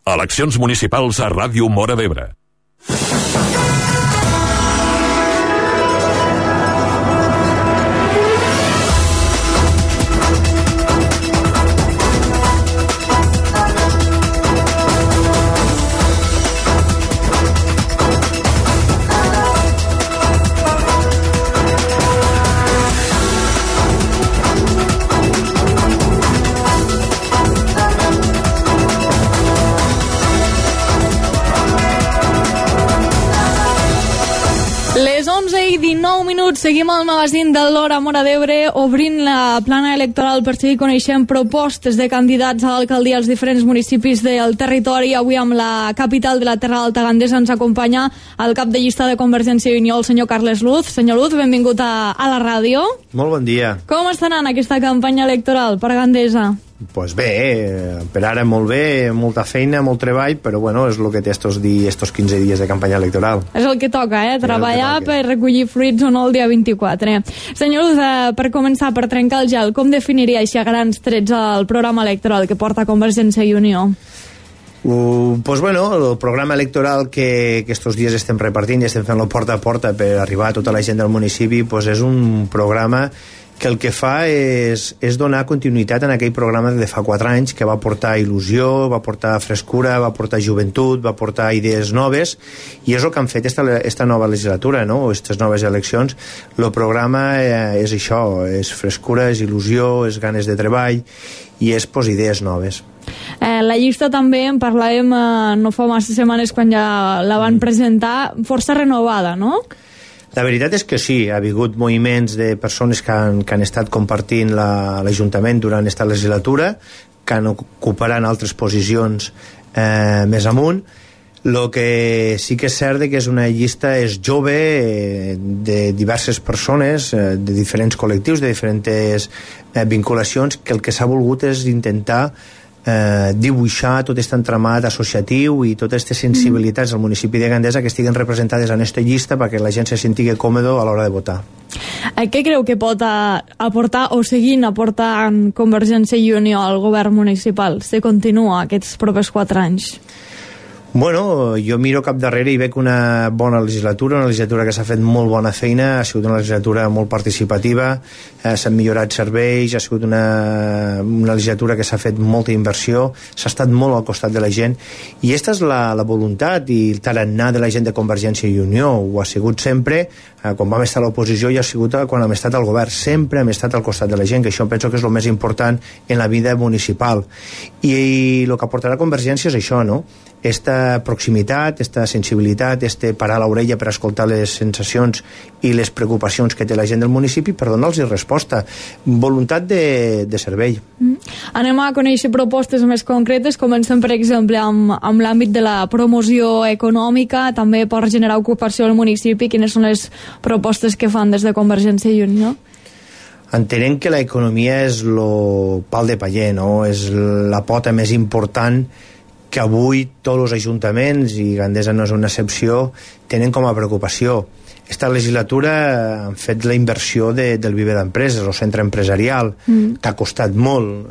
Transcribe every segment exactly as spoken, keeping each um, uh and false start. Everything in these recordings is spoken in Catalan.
Eleccions municipals a Ràdio Móra d'Ebre. dinou minuts, seguim al magazín de l'Hora Móra d'Ebre, obrint la plana electoral per seguir coneixent propostes de candidats a l'alcaldia als diferents municipis del territori. Avui amb la capital de la Terra Alta Gandesa ens acompanya el cap de llista de Convergència i Unió, el senyor Carles Luz. Senyor Luz, benvingut a, a la ràdio. Molt bon dia. Com està anant aquesta campanya electoral per Gandesa? Pues bé, per ara molt bé, molta feina, molt treball, però bueno, és el que té estos, di, estos quinze dies de campanya electoral. És el que toca, eh? Treballar per recollir fruits o no el dia vint-i-quatre. Senyor Luz, eh, per començar, per trencar el gel, com definiria així a grans trets el programa electoral que porta Convergència i Unió? Uh, pues bueno, el programa electoral que, que estos dies estem repartint i estem fent-lo porta a porta per arribar a tota la gent del municipi, pues és un programa que el que fa és, és donar continuïtat en aquell programa de fa quatre anys que va portar il·lusió, va portar frescura, va portar joventut, va portar idees noves, i és el que han fet esta, esta nova legislatura, no? Aquestes noves eleccions. El programa eh, és això, és frescura, és il·lusió, és ganes de treball i és pues, idees noves. Eh, la llista també en parlàvem eh, no fa massa setmanes quan ja la van mm. presentar, força renovada, no? La veritat és que sí, ha hagut moviments de persones que han, que han estat compartint l'Ajuntament la, durant aquesta legislatura, que han ocuparan altres posicions eh, més amunt. El que sí que és cert que és una llista és jove, eh, de diverses persones, eh, de diferents col·lectius, de diferents eh, vinculacions, que el que s'ha volgut és intentar Eh, dibuixar tot aquest entramat associatiu i totes aquestes sensibilitats del municipi de Gandesa que estiguen representades en aquesta llista perquè la gent se sentigui còmodo a l'hora de votar. Què creu que pot aportar o seguint aportant Convergència i Unió al govern municipal si continua aquests propers quatre anys? Bueno, jo miro cap darrere i veig una bona legislatura, una legislatura que s'ha fet molt bona feina, ha sigut una legislatura molt participativa, eh, s'han millorat serveis, ha sigut una, una legislatura que s'ha fet molta inversió, s'ha estat molt al costat de la gent, i aquesta és la, la voluntat i el tarannà de la gent de Convergència i Unió. Ho ha sigut sempre, eh, quan vam estar a l'oposició, i ha sigut quan hem estat al govern, sempre hem estat al costat de la gent, que això penso que és el més important en la vida municipal. I, i el que aportarà Convergència és això, no? Esta proximitat, esta sensibilitat, este parar l'orella per escoltar les sensacions i les preocupacions que té la gent del municipi per donar-los resposta. Voluntat de, de servei. Mm. Anem a conèixer propostes més concretes. Comencem, per exemple, amb, amb l'àmbit de la promoció econòmica, també per generar ocupació al municipi. Quines són les propostes que fan des de Convergència i Unió? Entenem que l'economia és el pal de paller, no? És la pota més important que avui tots els ajuntaments, i Gandesa no és una excepció, tenen com a preocupació. Esta legislatura han fet la inversió de, del Viver d'Empreses, el centre empresarial, mm. que ha costat molt,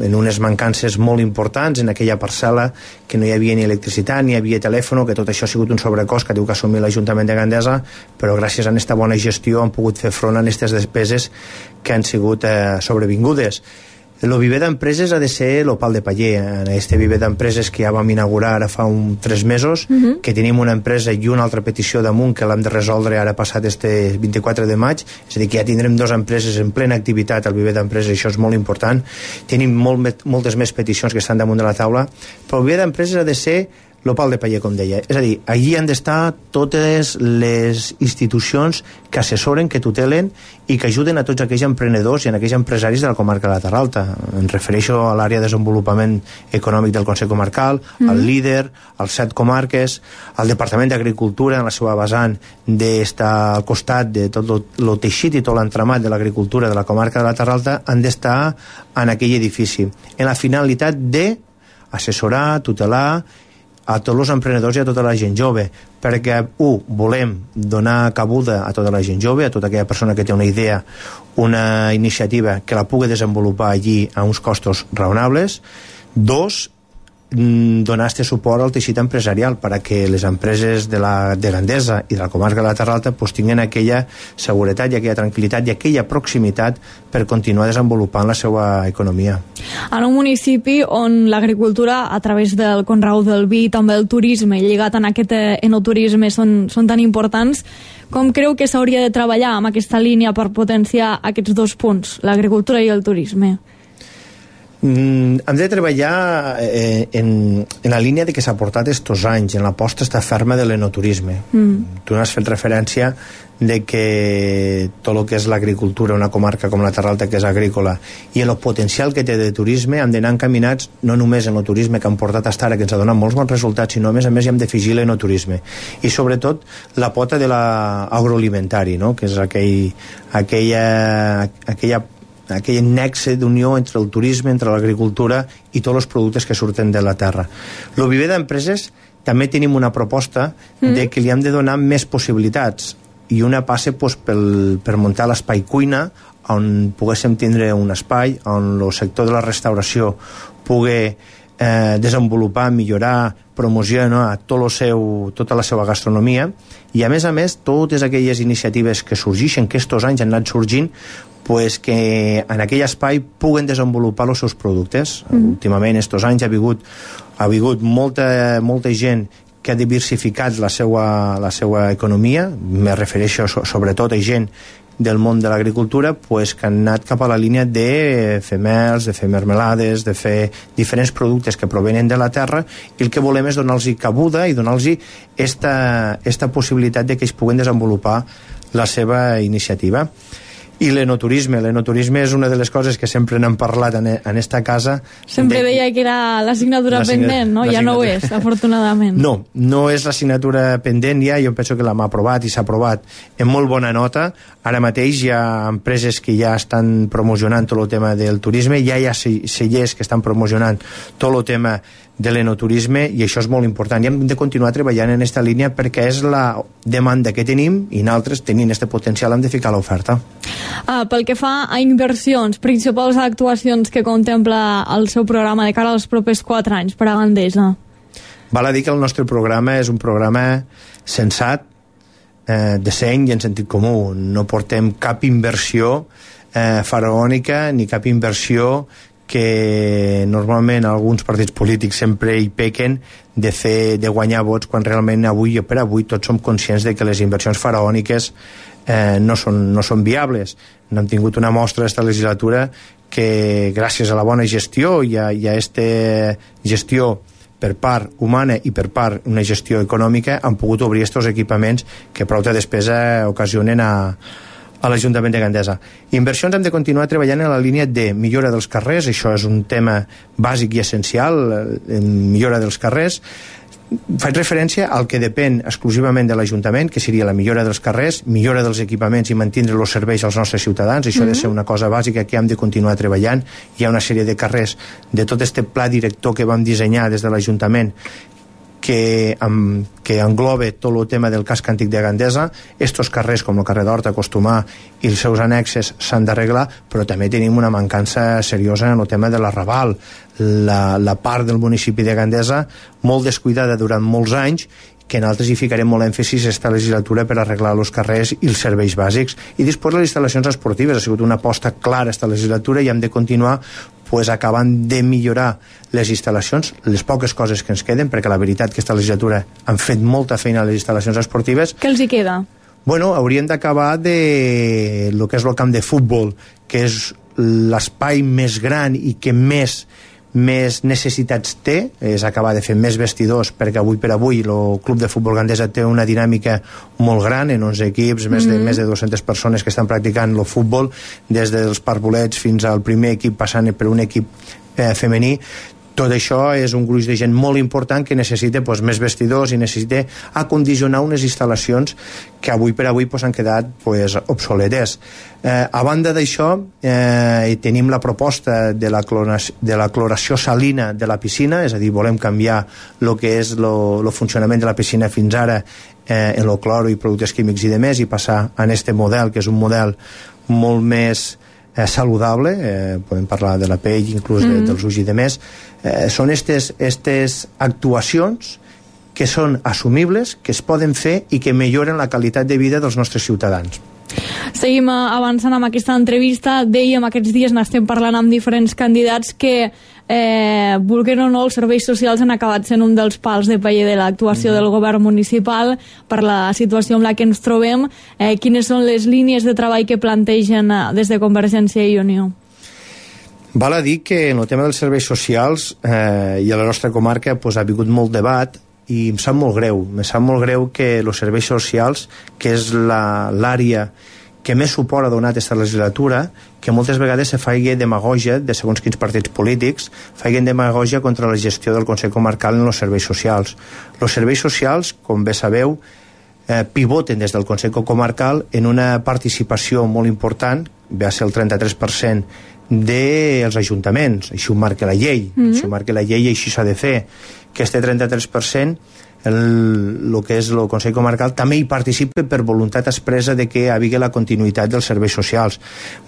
en unes mancances molt importants, en aquella parcel·la que no hi havia ni electricitat, ni hi havia telèfon, que tot això ha sigut un sobrecost que diu que ha assumit l'Ajuntament de Gandesa, però gràcies a aquesta bona gestió han pogut fer front a aquestes despeses que han sigut eh, sobrevingudes. El Viver d'Empreses ha de ser el pal de paller. En este Viver d'Empreses que ja vam inaugurar ara fa un, tres mesos, uh -huh. que tenim una empresa i una altra petició damunt que l'hem de resoldre ara passat este vint-i-quatre de maig, és a dir, que ja tindrem dues empreses en plena activitat al Viver d'Empreses, això és molt important. Tenim molt, moltes més peticions que estan damunt de la taula, però el Viver d'Empreses ha de ser el pal de paller, com deia. És a dir, allí han d'estar totes les institucions que assessoren, que tutelen i que ajuden a tots aquells emprenedors i a aquells empresaris de la comarca de la Terra Alta. Em refereixo a l'àrea de desenvolupament econòmic del Consell Comarcal, mm. al líder, als set comarques, al Departament d'Agricultura en la seva vessant d'estar al costat de tot el teixit i tot l'entramat de l'agricultura de la comarca de la Terra Alta, han d'estar en aquell edifici, en la finalitat de assessorar, tutelar a tots els emprenedors i a tota la gent jove, perquè, u, volem donar cabuda a tota la gent jove, a tota aquella persona que té una idea, una iniciativa que la pugui desenvolupar allí a uns costos raonables. Dos, donar este suport al teixit empresarial perquè les empreses de, la, de Gandesa i de la comarca de la Terra Alta pues, tinguin aquella seguretat i aquella tranquil·litat i aquella proximitat per continuar desenvolupant la seva economia. En un municipi on l'agricultura a través del conreu del vi i també el turisme lligat en aquest enoturisme són, són tan importants, com creu que s'hauria de treballar amb aquesta línia per potenciar aquests dos punts, l'agricultura i el turisme? Mm, hem de treballar eh, en, en la línia de que s'ha portat estos anys, en l'aposta esta ferma de l'enoturisme. Mm. Tu n'has fet referència de que tot el que és l'agricultura, una comarca com la Terra Alta que és agrícola, i el potencial que té de turisme, hem d'anar encaminats no només en el turisme que han portat fins ara, que ens ha donat molts bons resultats, sinó a més a més hi hem d'afegir l'enoturisme. I sobretot la pota de l'agroalimentari, no? Que és aquell, aquella, aquella aquell nexe d'unió entre el turisme, entre l'agricultura i tots els productes que surten de la terra. El viver d'empreses també tenim una proposta mm. de que li hem de donar més possibilitats, i una passa pues, pel, per muntar l'espai cuina, on poguéssim tindre un espai on el sector de la restauració pugui eh, desenvolupar, millorar, promocionar tot lo seu, tota la seva gastronomia, i a més a més totes aquelles iniciatives que sorgeixen, que estos anys han anat sorgint, pues que en aquell espai puguen desenvolupar els seus productes. Mm. Últimament, estos anys, ha hagut, ha hagut molta, molta gent que ha diversificat la seva, la seva economia, me refereixo so, sobretot a gent del món de l'agricultura, pues, que han anat cap a la línia de fer mels, de fer mermelades, de fer diferents productes que provenen de la terra, i el que volem és donar-los cabuda i donar-los esta, esta possibilitat de que ells puguen desenvolupar la seva iniciativa. I l'enoturisme, l'enoturisme és una de les coses que sempre n'hem parlat en, en esta casa. Sempre de... deia que era l'assignatura pendent, no? Ja no ho és, afortunadament. No, no és l'assignatura pendent ja, jo penso que l'hem aprovat i s'ha aprovat en molt bona nota. Ara mateix hi ha empreses que ja estan promocionant tot el tema del turisme, ja hi ha cellers que estan promocionant tot el tema de l'enoturisme, i això és molt important i hem de continuar treballant en aquesta línia perquè és la demanda que tenim i nosaltres, tenint aquest potencial, hem de ficar l'oferta. Ah, pel que fa a inversions, principals actuacions que contempla el seu programa de cara als propers quatre anys per a Gandesa? Val a dir que el nostre programa és un programa sensat, eh, de seny i en sentit comú. No portem cap inversió eh, faraònica ni cap inversió que normalment alguns partits polítics sempre hi pequen de fer, de guanyar vots, quan realment avui per avui tots som conscients de que les inversions faraòniques eh, no, són, no són viables. No hem tingut una mostra d'esta legislatura que gràcies a la bona gestió i a, i a esta gestió per part humana i per part una gestió econòmica han pogut obrir estos equipaments que prou de despesa ocasionen a a l'Ajuntament de Gandesa. Inversions hem de continuar treballant en la línia de millora dels carrers, això és un tema bàsic i essencial, millora dels carrers. Faig referència al que depèn exclusivament de l'Ajuntament, que seria la millora dels carrers, millora dels equipaments i mantindre els serveis als nostres ciutadans. Això mm-hmm. ha de ser una cosa bàsica que hem de continuar treballant. Hi ha una sèrie de carrers de tot este pla director que vam dissenyar des de l'Ajuntament que, um, que engloba tot el tema del casc antic de Gandesa. Estos carrers, com el carrer d'Horta, Costumar i els seus annexes, s'han d'arreglar, però també tenim una mancança seriosa en el tema de l'arrabal. La, la part del municipi de Gandesa, molt descuidada durant molts anys, que nosaltres hi ficarem molt èmfasis esta legislatura per arreglar els carrers i els serveis bàsics. I després les instal·lacions esportives, ha sigut una aposta clara esta legislatura i hem de continuar pues, acabant de millorar les instal·lacions, les poques coses que ens queden, perquè la veritat que esta legislatura han fet molta feina a les instal·lacions esportives. Què els hi queda? Bueno, hauríem d'acabar de lo que és el camp de futbol, que és l'espai més gran i que més més necessitats té, és acabar de fer més vestidors, perquè avui per avui el Club de Futbol Gandesa té una dinàmica molt gran, en onze equips, més de, mm-hmm. més de dues-centes persones que estan practicant el futbol, des dels parvulets fins al primer equip, passant per un equip eh, femení. Tot això és un gruix de gent molt important que necessita pues, més vestidors i necessita acondicionar unes instal·lacions que avui per avui pues, han quedat pues, obsoletes. Eh, a banda d'això, eh, tenim la proposta de la, cloració, de la cloració salina de la piscina, és a dir, volem canviar el que és el funcionament de la piscina fins ara eh, en el cloro i productes químics i demés, i passar a aquest model, que és un model molt més eh, saludable, eh, podem parlar de la pell, inclús de, mm. dels ulls i de més, eh, són aquestes actuacions que són assumibles, que es poden fer i que milloren la qualitat de vida dels nostres ciutadans. Seguim avançant amb aquesta entrevista. Dèiem, aquests dies n'estem parlant amb diferents candidats que, eh, vulguin o no, els serveis socials han acabat sent un dels pals de paller de l'actuació mm. del govern municipal per la situació en la que ens trobem. Eh, quines són les línies de treball que plantegen des de Convergència i Unió? Val a dir que en el tema dels serveis socials eh, i a la nostra comarca pues, ha hagut molt debat, i em sap molt greu, em sap molt greu que els serveis socials, que és l'àrea que més suport ha donat aquesta legislatura, que moltes vegades se faci demagogia de segons quins partits polítics, facin demagogia contra la gestió del Consell Comarcal en els serveis socials. Els serveis socials, com bé sabeu, eh, pivoten des del Consell Comarcal en una participació molt important, ve a ser el trenta-tres per cent dels ajuntaments, així ho marca la llei, mm-hmm. així ho marca la llei i així s'ha de fer, que este trenta-tres per cent el, el que és el Consell Comarcal també hi participa per voluntat expressa de que hi hagi la continuïtat dels serveis socials.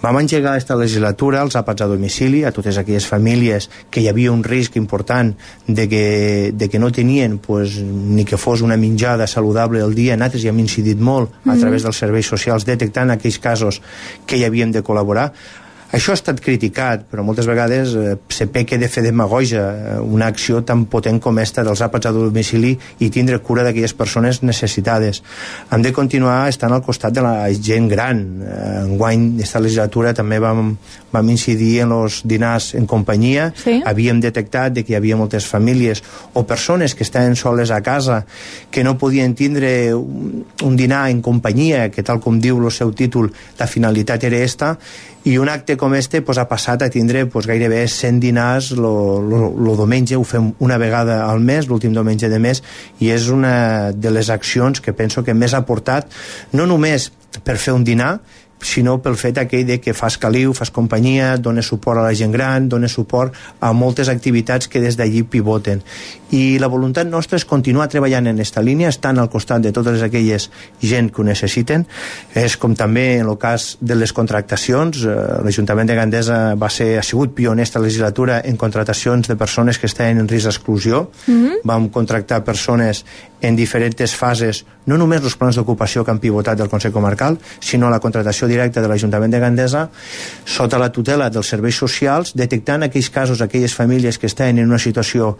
Vam engegar aquesta legislatura els àpats a domicili a totes aquelles famílies que hi havia un risc important de que, de que no tenien pues, ni que fos una menjada saludable al dia. Nosaltres hi hem incidit molt a través dels serveis socials detectant aquells casos que hi havíem de col·laborar. Això ha estat criticat, però moltes vegades eh, se peca de fer demagogia, una acció tan potent com esta dels àpats a domicili i tindre cura d'aquelles persones necessitades. Hem de continuar estant al costat de la gent gran. Eh, enguany, aquesta legislatura també vam, vam incidir en els dinars en companyia. Sí. Havíem detectat de que hi havia moltes famílies o persones que estaven soles a casa que no podien tindre un, un dinar en companyia, que tal com diu el seu títol, la finalitat era esta, i un acte com este pues, ha passat a tindre pues, gairebé cent dinars el diumenge, ho fem una vegada al mes, l'últim diumenge de mes, i és una de les accions que penso que més ha portat, no només per fer un dinar, sinó pel fet aquell de que fas caliu, fas companyia, dones suport a la gent gran, dones suport a moltes activitats que des d'allí pivoten. I la voluntat nostra és continuar treballant en aquesta línia, estant al costat de totes aquelles gent que ho necessiten. És com també en el cas de les contractacions, eh, l'Ajuntament de Gandesa va ser, ha sigut pioner esta legislatura en contractacions de persones que estaven en risc d'exclusió. Mm-hmm. Vam contractar persones en diferents fases, no només els plans d'ocupació que han pivotat del Consell Comarcal, sinó la contractació directa de l'Ajuntament de Gandesa sota la tutela dels serveis socials, detectant aquells casos, aquelles famílies que estaven en una situació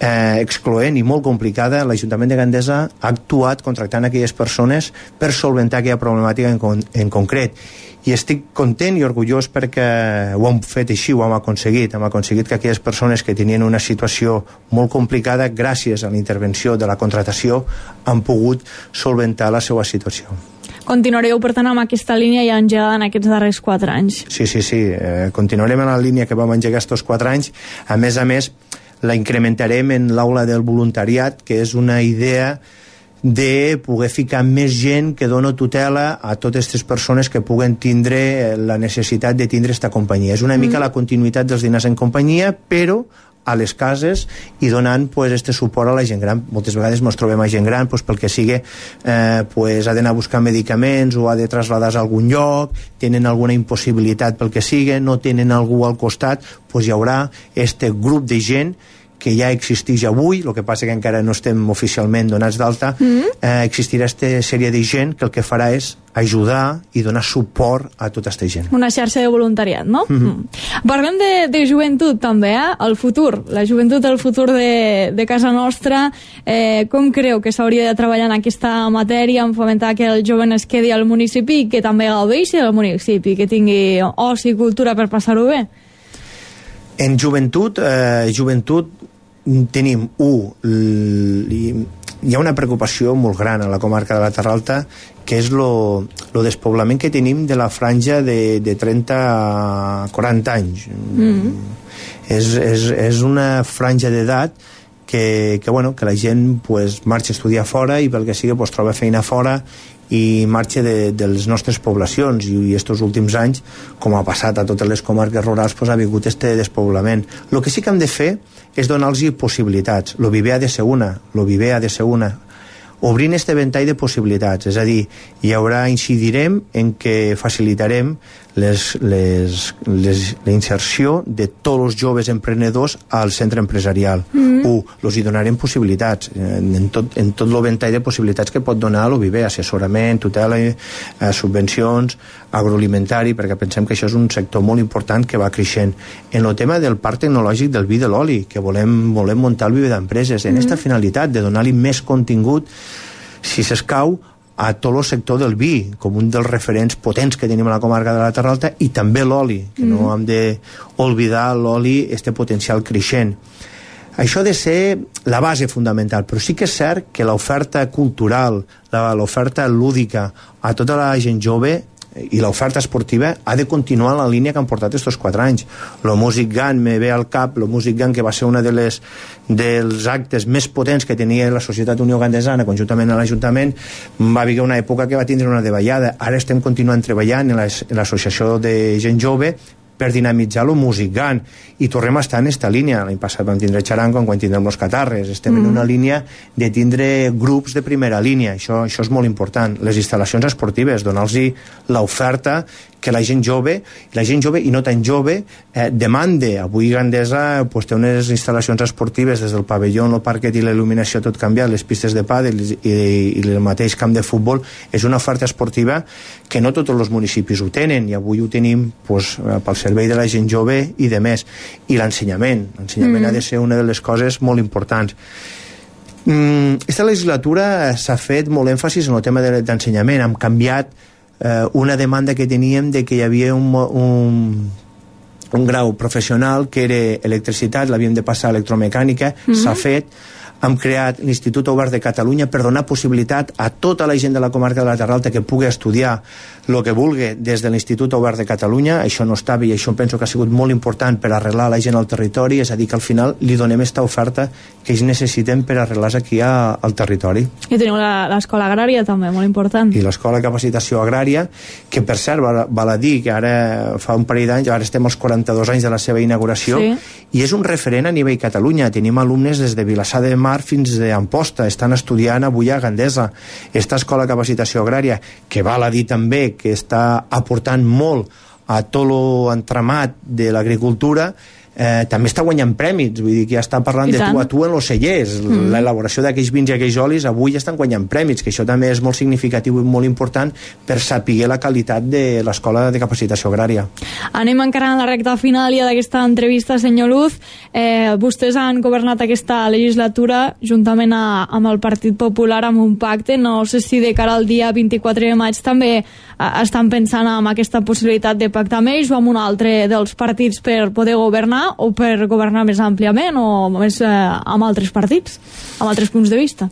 eh, excloent i molt complicada. L'Ajuntament de Gandesa ha actuat contractant aquelles persones per solventar aquella problemàtica en, con en concret. I estic content i orgullós perquè ho hem fet així, ho hem aconseguit. Hem aconseguit que aquelles persones que tenien una situació molt complicada, gràcies a la intervenció de la contractació, han pogut solventar la seva situació. Continuareu, per tant, amb aquesta línia ja engegada en aquests darrers quatre anys. Sí, sí, sí. Eh, continuarem en la línia que vam engegar aquests quatre anys. A més a més, la incrementarem en l'aula del voluntariat, que és una idea de poder ficar més gent que dona tutela a totes aquestes persones que puguen tindre la necessitat de tindre aquesta companyia. És una mica mm. la continuïtat dels dinars en companyia, però a les cases i donant pues, este suport a la gent gran. Moltes vegades ens trobem a gent gran pues, pel que sigui, eh, pues, ha d'anar a buscar medicaments o ha de traslladar-se a algun lloc, tenen alguna impossibilitat pel que sigui, no tenen algú al costat, pues, hi haurà este grup de gent que ja existeix avui, el que passa que encara no estem oficialment donats d'alta, mm. eh, existirà aquesta sèrie de gent que el que farà és ajudar i donar suport a tota aquesta gent. Una xarxa de voluntariat, no? Mm-hmm. Mm. Parlem de, de joventut també, eh? El futur, la joventut, el futur de, de casa nostra. Eh, com creu que s'hauria de treballar en aquesta matèria, en fomentar que el jove es quedi al municipi i que també gaudeixi del municipi, que tingui oci i cultura per passar-ho bé? En joventut, eh, joventut tenim, un, hi ha una preocupació molt gran a la comarca de la Terra Alta, que és lo, lo despoblament que tenim de la franja de, de trenta a quaranta anys. Mm-hmm. És, és, és una franja d'edat que, que, bueno, que la gent pues, marxa a estudiar fora i pel que sigui pues, troba feina fora i marxa de, de les nostres poblacions, i, i estos últims anys, com ha passat a totes les comarques rurals, pues, ha vingut este despoblament. El que sí que hem de fer és donar-los possibilitats. Lo viver ha de ser una, lo viver ha de ser una. obrint este ventall de possibilitats, és a dir, hi haurà, incidirem en que facilitarem les, les, les, la inserció de tots els joves emprenedors al centre empresarial. Mm-hmm. Un, els hi donarem possibilitats en tot, en tot el ventall de possibilitats que pot donar l'O V I B, assessorament, tutela, eh, subvencions, agroalimentari, perquè pensem que això és un sector molt important que va creixent. En el tema del parc tecnològic del vi de l'oli, que volem, volem muntar el vi d'empreses, en aquesta mm-hmm. finalitat de donar-li més contingut, si s'escau, a tot el sector del vi, com un dels referents potents que tenim a la comarca de la Terra Alta, i també l'oli, que mm. no hem d'oblidar l'oli, este potencial creixent. Això ha de ser la base fundamental, però sí que és cert que l'oferta cultural, l'oferta lúdica a tota la gent jove i l'oferta esportiva ha de continuar la línia que han portat estos quatre anys. Lo Music Gun me ve al cap, lo Music Gun, que va ser una de les, dels actes més potents que tenia la Societat Unió Gandesana conjuntament a l'Ajuntament, va haver una època que va tindre una davallada. Ara estem continuant treballant en l'associació de gent jove per dinamitzar el Music Gun, i tornem a estar en esta línia. L'any passat vam tindre Charango, quan tindrem els Catarres, estem mm. en una línia de tindre grups de primera línia, això, això és molt important. Les instal·lacions esportives, donar-los l'oferta que la gent jove, la gent jove i no tan jove, eh, demande. Avui Gandesa pues, té unes instal·lacions esportives des del pavelló, el parquet i la il·luminació tot canviat, les pistes de pàdel i, i, i el mateix camp de futbol. És una oferta esportiva que no tots els municipis ho tenen, i avui ho tenim pues, pel servei de la gent jove i de més. I l'ensenyament, l'ensenyament mm. ha de ser una de les coses molt importants. Mm, esta legislatura s'ha fet molt èmfasis en el tema de, d'ensenyament. Hem canviat eh, una demanda que teníem de que hi havia un, un, un grau professional que era electricitat, l'havíem de passar a electromecànica, mm. s'ha fet. Hem creat l'Institut Obert de Catalunya per donar possibilitat a tota la gent de la comarca de la Terra Alta que pugui estudiar el que vulgui des de l'Institut Obert de Catalunya. Això no estava, i això penso que ha sigut molt important per arreglar la gent al territori, és a dir, que al final li donem aquesta oferta que ells necessiten per arreglar-se aquí a, al territori. I teniu l'escola agrària també, molt important. I l'escola de capacitació agrària, que per cert val, val a dir que ara fa un parell d'anys, ara estem als quaranta-dos anys de la seva inauguració, sí. i és un referent a nivell Catalunya. Tenim alumnes des de Vilassar de Mar fins d'Amposta, estan estudiant avui a Gandesa. Esta escola de capacitació agrària, que val a dir també que està aportant molt a tot l'entramat de l'agricultura, eh, també està guanyant prèmits, vull dir que ja està parlant de tu a tu en els cellers, mm. l'elaboració d'aquells vins i aquells olis avui ja estan guanyant prèmits, que això també és molt significatiu i molt important per saber la qualitat de l'escola de capacitació agrària. Anem encara en la recta final ja d'aquesta entrevista, senyor Luz. Eh, vostès han governat aquesta legislatura juntament a, amb el Partit Popular amb un pacte. No sé si de cara al dia vint-i-quatre de maig també eh, estan pensant en aquesta possibilitat de pactar amb ells o amb un altre dels partits per poder governar, o per governar més àmpliament o més eh, amb altres partits, amb altres punts de vista?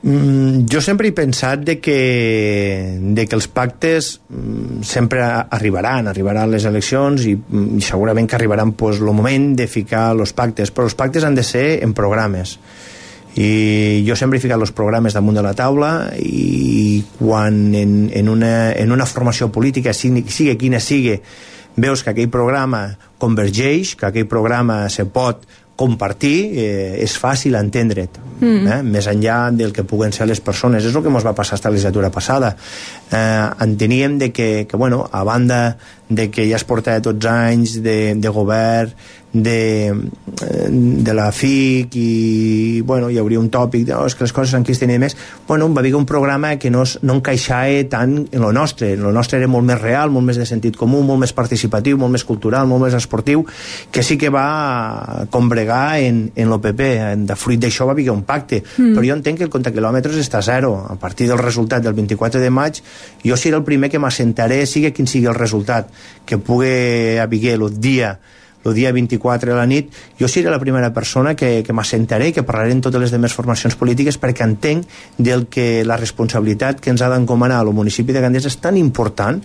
Mm, jo sempre he pensat de que, de que els pactes mm, sempre arribaran, arribaran les eleccions i, i segurament que arribaran pues, el moment de ficar els pactes, però els pactes han de ser en programes. I jo sempre he ficat els programes damunt de la taula, i quan en, en, una, en una formació política, sigui, sigui quina sigui, veus que aquell programa convergeix, que aquell programa se pot compartir, eh, és fàcil entendre't, mm. eh? més enllà del que puguen ser les persones. És el que ens va passar esta legislatura passada. Eh, enteníem de que, que bueno, a banda de que ja es portava tots anys de, de govern, de, de la F I C, i bueno, hi hauria un tòpic de, oh, és que les coses aquí es tenien més, bueno, va haver un programa que no, no encaixava tant en lo nostre. En lo nostre era molt més real, molt més de sentit comú, molt més participatiu, molt més cultural, molt més esportiu, que sí que va combregar en, en l'O P P. De fruit d'això va haver un pacte, mm. però jo entenc que el compte quilòmetres està a zero. A partir del resultat del vint-i-quatre de maig, jo seré el primer que m'assentaré, sigui quin sigui el resultat, que pugui haver el dia el dia vint-i-quatre a la nit, jo seré la primera persona que, que m'assentaré i que parlaré en totes les demés formacions polítiques, perquè entenc del que la responsabilitat que ens ha d'encomanar al municipi de Gandesa és tan important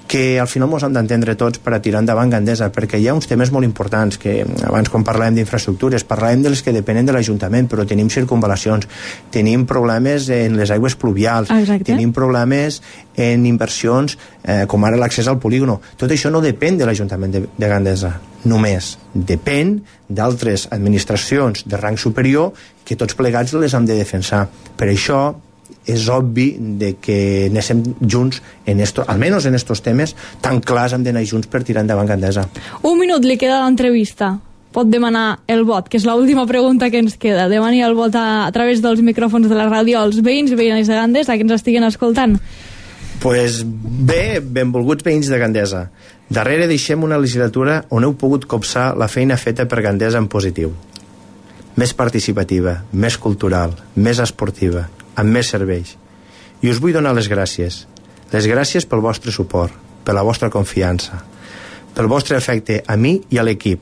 que al final ens hem d'entendre tots per a tirar endavant Gandesa, perquè hi ha uns temes molt importants que abans quan parlàvem d'infraestructures parlàvem de les que depenen de l'Ajuntament, però tenim circunvalacions, tenim problemes en les aigües pluvials, exacte. Tenim problemes en inversions eh, com ara l'accés al polígono. Tot això no depèn de l'Ajuntament de, de Gandesa només, depèn d'altres administracions de rang superior que tots plegats les hem de defensar. Per això és obvi de que anéssim junts, en esto, almenys en estos temes tan clars hem d'anar junts per tirar endavant Gandesa. Un minut li queda l'entrevista. Pot demanar el vot, que és l'última pregunta que ens queda. Demani el vot a, a través dels micròfons de la ràdio als veïns i veïnes de Gandesa que ens estiguen escoltant. Pues bé, benvolguts veïns de Gandesa. Darrere deixem una legislatura on heu pogut copsar la feina feta per Gandesa en positiu. Més participativa, més cultural, més esportiva, amb més serveis. I us vull donar les gràcies. Les gràcies pel vostre suport, per la vostra confiança, pel vostre afecte a mi i a l'equip.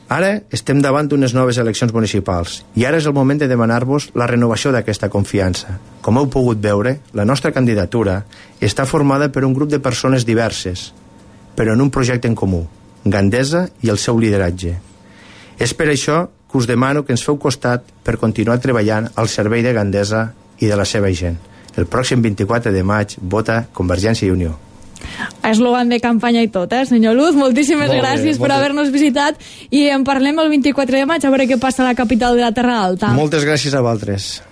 Ara estem davant d'unes noves eleccions municipals i ara és el moment de demanar-vos la renovació d'aquesta confiança. Com heu pogut veure, la nostra candidatura està formada per un grup de persones diverses, però en un projecte en comú, Gandesa i el seu lideratge. És per això que us demano que ens feu costat per continuar treballant al servei de Gandesa i de la seva gent. El pròxim vint-i-quatre de maig vota Convergència i Unió. Eslògan de campanya i tot, eh, senyor Luz? Moltíssimes molt gràcies bé, per haver-nos visitat i en parlem el vint-i-quatre de maig a veure què passa a la capital de la Terra Alta. Moltes gràcies a vosaltres.